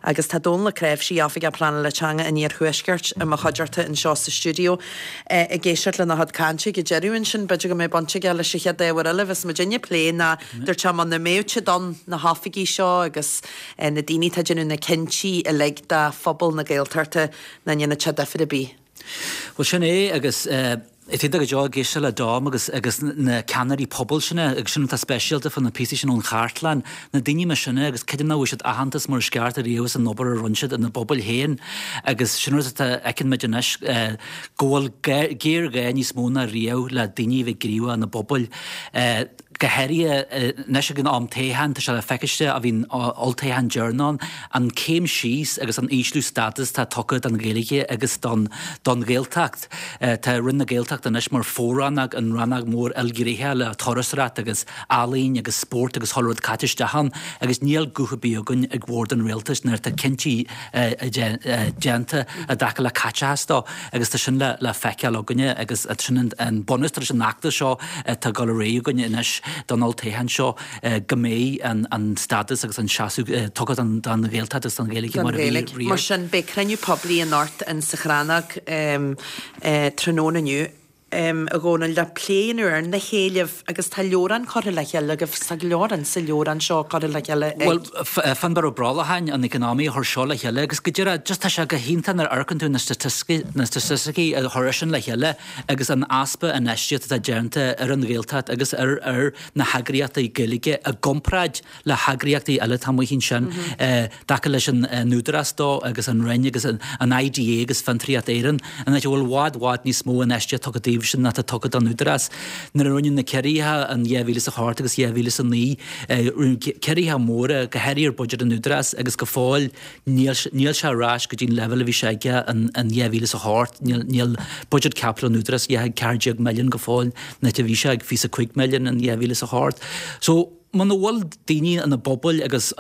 Agus tá Dónall Ó Cnáimhsí, Oifigeach Pleanála Teanga an Iarthuaiscirt, i mo chuideachta anseo sa stiúideo. Ag éisteacht lena chuid cainte ag an deireadh ansin, b'fhéidir go mbeidh baint aige leis an chéad ábhar eile a bheas muidinne ag plé ná dúirt sé muna mbeadh siad ann, na hoifigigh seo agus na daoine atá ag déanamh na cinntí uilig do phobal na Gaeltachta, nach ndéanfadh sé difear ar bith. Bhuel sin é agus is iontach go deo ag éisteacht le Dom agus agus na ceannairí pobail sin agus sin atá speisialta fá na píosaí sin ón chartlann, na daoine mar sin agus creidim nach bhfuair siad aitheantas mar is ceart ariamh as an obair a rinne siad ina bpobail féin agus sin rud atá fheiceann muid anois go bhfuil géarghá níos mó ná riamh le daoine a bheith gníomhach ina bpobail. Go háirithe anois ag an am toghcháin, tá sé le feiciste ó bhí an olltoghchán deireanach ann, an céim síos agus an ísliú stádas atá tugtha don Ghaeilge agus don don Ghaeltacht. Tá Roinn na Gaeltachta anois mar fo-rannóg in rannóg mór ilghnéitheach le turasóireacht agus ealaín agus spórt agus chuile rud caite isteach ann agus níl guth ar bith againn ag bord an rialtais nuair atá cinntí déanta i dtaca le caiteachas dó agus tá sin le feiceáil againne agus sin an bunús leis an fheachtas seo atá ag dul ar aghaidh againne anois don olltoghchán seo go mbeidh an stádas agus an seasamh tugtha don Ghaeltacht agus don Ghaeilge mar a bhí riamh. Mar sin, beidh cruinniú poiblí anocht in sa Chrannóg tráthnóna inniu. a Dhónaill, le plé a dhéanamh ar na héilimh agus tá leabhrán curtha le chéile agaibh, tá go leor in sa leabhrán seo curtha le chéile ag. Bhuel, Fionnbarr Ó Brollacháin, an economy a chuir seo le chéile agus go díreach, just tá sé go hiontach nuair a amharcann tú na na staitisticí a chuir eisean le chéile agus an easpa infheistíocht atá déanta ar an Ghaeltacht agus ar ar na heagraíochtaí Gaeilge i gcomparáid le heagraíochtaí eile atá amuigh ansin i dtaca leis an Údarás dó agus an Roinn agus an IDA agus Fiontraíocht Éireann, an áit a bhfuil i bhfad bhfad níos mó infheistíocht tugtha daoibh sin ná atá tugtha don Údarás. Nuair a rinneadh na ciorruithe in 2008 agus 2009, rinneadh ciorruithe móra, go háirithe ar bhuiséad an Údarás agus go fóill Níl níl sé ar ais go dtí an leibhéal a bhí sé aige in 2008. Níl níl buiséad caipitil an Údarás a 14 milliún go fóill, an áit a bhí sé ag 25 milliún in 2008. So, muna bhfuil daoine ina bpobail agus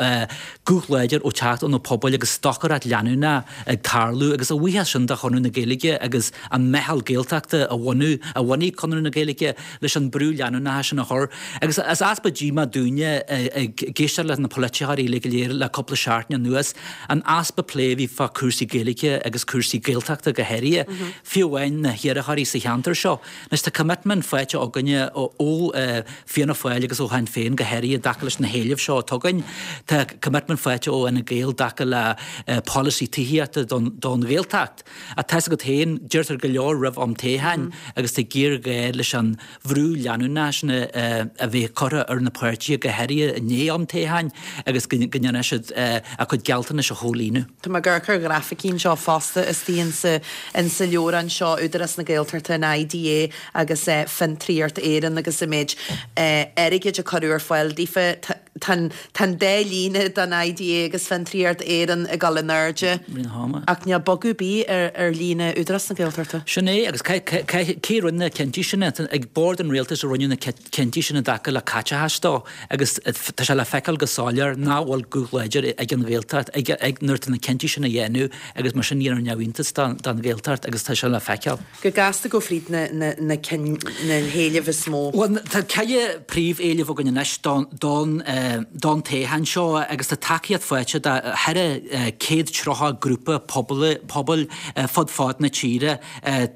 guth láidir ó teacht ó na pobail agus stocaireacht leanúnach ag tarlú agus a bhuíochas sin do Chonradh na Gaeilge agus an Meitheal Gaeltachta a bhunú, a bhunaigh Conradh na Gaeilge leis an brú leanúnach sin a chur. Agus is easpa díomá dúinne ag éisteacht leis na polaiteoirí uilig go léir le cúpla seachtain anuas, an easpa plé a bhí fá cúrsaí Gaeilge agus cúrsaí Gaeltachta go háirithe, fiú amháin na hiarrthóirí sa cheantar seo. Anois tá commitment faighte againne ó Fianna Fáil agus ó Shinn Féin go háirithe i dtaca leis na héilimh seo atá againn. Tá commitment faighte ó Fhine Gael i dtaca le polasaí tithíochta don Ghaeltacht. Ach tá's agat féin, deirtear go leor roimh am toghcháin agus tá géarghá leis an bhrú leanúnach sin a bheith curtha ar na páirtithe go háirithe i ndiaidh am toghcháin agus go ndéanfaidh siad a gcuid gealltanais a chomhlíonadh. Tá mé ag amharc ar ghrafaicí anseo fosta istigh insa insa leabhrán seo, Údarás na Gaeltachta, an IDA agus Fiontraíocht Éireann agus an méid airgid a cuireadh ar fáil daofa. Tá an dá líne don IDA agus Fiontraíocht Éireann ag dul in airde ach níl bogadh ar bith ar líne Údarás na Gaeltachta. Sin é, agus cé a rinne na cinntí sin? Ag bord an rialtais a rinneadh na cinntí sin i dtaca le caiteachas dó agus tá sé le feiceáil go soiléir nach bhfuil guth láidir ag an Ghaeltacht ag nuair atá na cinntí sin á dhéanamh agus mar sin dhéanfar neamhiontas don Ghaeltacht agus tá sé le feiceáil. Go gasta gabh fríd na na cinn na héilimh is mó. Bhuel tá ceithre príomhéileamh againn anois don don don toghchán seo agus tá tacaíocht faighte de 430 grúpa pobail pobail fud fad na tíre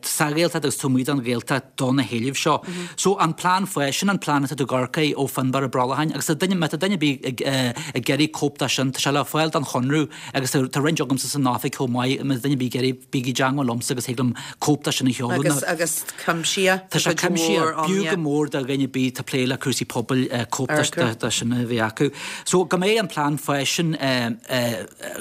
sa Ghaeltacht agus taobh amuigh den Ghaeltacht do na héilimh seo. So an plean fáis, sin an plean atá tú ag amharc air ó Fionnbarr Ó Brollacháin agus tá duine, má tá duine ar bith ag ag iarraidh cóip de sin, tá sé le fáil don Chonradh agus tá roinnt agamsa san oifig chomh maith, má tá duine ar bith ag iarraidh, bígí i dteangmháil liomsa agus thig liom cóip de sin a sheoladh. Agus, agus cuimsithe, Tá sé cuimsithe, b'fhiú go mór do dhuine ar bith atá ag plé le cúrsaí pobail cóip de sin a bheith acu. So go mbeidh an plean fáis sin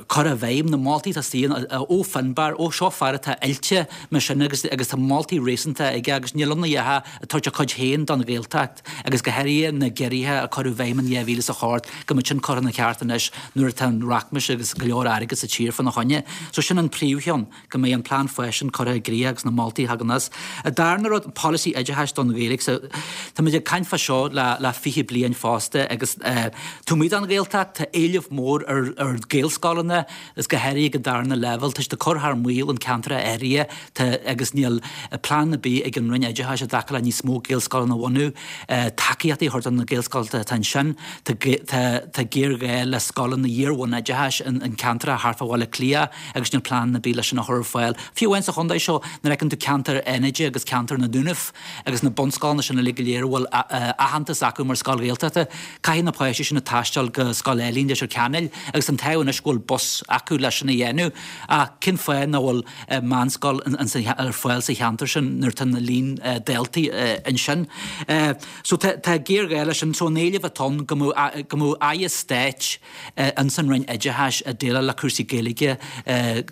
curtha i bhfeidhm, na moltaí atá istigh ó Fionnbarr, ó seo fear atá oilte mar sin agus agus tá moltaí réasúnta aige agus níl ann a dhath ach tabhairt a cuid féin don Ghaeltacht agus go háirithe na giorruithe a cuireadh i bhfeidhm in 2008 go mbeadh sin curtha ina cheart anois nuair atá an rachmas agus go leor airgead sa tír fána choinne. So sin an príomhcheann, go mbeidh an plean fáis sin curtha i gcrích agus na moltaí a thagann as. An darna rud, polasaí oideachais don Ghaeilge. So táimid ag caint fá seo le le 20 bliain fosta agus eh. Taobh amuigh den Ghaeltacht, tá éileamh mór ar ar Ghaelscoileanna, is go háirithe ag an darna leibhéal. Tá siad ag cur thar maoil in ceantracha áirithe tá agus níl plean ar bith ag an Roinn Oideachais i dtaca le níos mó Gaelscoileanna a bhunú, tacaíochtaí a thabhairt do na Gaelscoileanna atá ansin. Tá tá géarghá le scoileanna iar-bhunoideachais in ceantracha thart fá Bhaile Átha Cliath agus níl plean ar bith leis sin a chur ar fáil. Fiú amháin sa chontae seo, nuair a fheiceann tú ceantar Fhánaide agus ceantar na Dúnaibh agus na bunscoileanna sin uilig go léir a bhfuil aitheantas acu mar scoil Ghaeltachta, caithfidh na páistí sin taisteal go Scoil Eilín Leitir Ceanainn agus an t-ádh anois go bhfuil bus acu leis sin a dhéanamh. Ach cén fáth nach bhfuil meánscoil ar fáil sa cheantar sin nuair atá na líon daltaí ansin? So tá géarghá leis sin. So an éileamh atá ann go mbeadh go mbeadh aire stáit ins an Roinn Oideachais ag déileáil le cúrsaí Gaeilge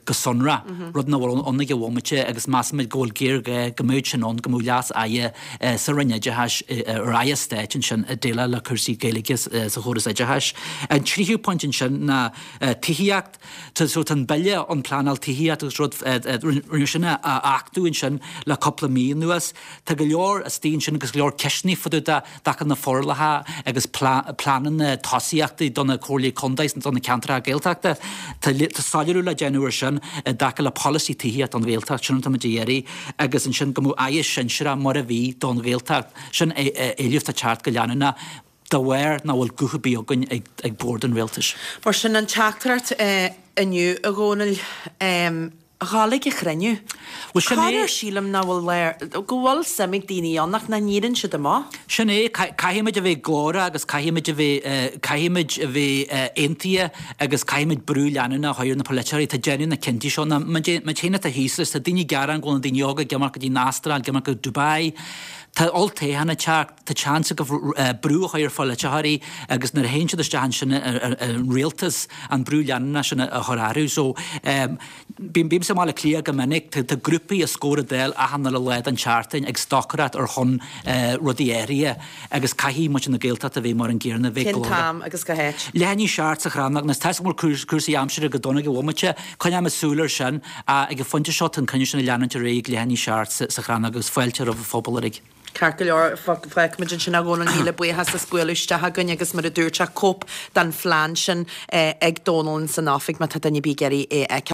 go sonrach, rud nach bhfuil ann ag an bhomaite agus measaimid go bhfuil géarghá go mbeadh sin ann, go mbeadh leas-aire sa Roinn Oideachais, ar aire stáit ansin ag déileáil le cúrsaí Gaeilge sa chóras oideachais. An tríú pointe ansin ná tithíocht. So tá an Bille um Pleanáil Tithíochta agus rud, rinneadh sin a achtú ansin le cúpla mí anuas. Tá go leor istigh ansin agus go leor ceisteanna fá dtaobh de i dtaca na forálacha agus pleananna tosaíochtaí do na comhairlí contae is do na ceantracha Gaeltachta. Tá soiléiriú le déanamh air sin i dtaca le polasaí tithíochta don Ghaeltacht, sin atá muid a iarraidh, agus ansin go mbeadh aire sinsearach mar a bhí don Ghaeltacht. Sin éileamh atá ag teacht go leanúnach de bharr nach bhfuil guth ar bith againn ag bord an rialtais. Mar sin an teachtaireacht inniu, a Dhónaill. Dhul ag an chruinniú. Bhuel, sin é. Corruair sílim nach bhfuil léir, go bhfuil suim ag daoine ann ach nach n-éiríonn siad amach. Sin é, caithfimid a bheith glórach agus caithfimid a bheith, caithfimid a bheith aontaithe agus caithfimid brú leanúnach a chur ar na polaiteoirí atá ag déanamh na cinntí seo. Ná muid féin atá thíos leis, tá daoine ag gearán go bhfuil na daoine óga ag imeacht go dtí an Astráil, ag imeacht go Dubai. Tá olltoghchán ag teacht, tá seans agaibh brú a chur ar pholaiteoirí agus nuair a théann siad isteach ansin ar an rialtas, an brú leanúnach sin a chur orthu. So, bímse i mBaile Átha Cliath go minic, tá grúpaí os comhair an Dáil achan uile lá den tseachtain ag stocaireacht ar shon rudaí áirithe agus caithfidh muintir na Gaeltachta a bheith mar an gcéanna, a bheith Cén glórach. t-am agus cá háit? Leath i ndiaidh a 7 sa Chrannóg. Anois, tá a fhios agam go bhfuil cúrsaí aimsire go dona ag an bhomaite, coinneoimid súil air sin, ach ag an phointe seo tá an cruinniú sin ag leanúint ar aghaidh ag leath i ndiaidh a 7 sa Chrannóg agus fáilte roimh an phobal uilig. Ceart go leor, fágfaimid ansin a Dhónaill, míle buíochas as bualadh isteach againn agus mar a dúirt sé, cóip den phlean sin ag Dónal ins an oifig má tá duine ar bith ag iarraidh é a fheiceáil.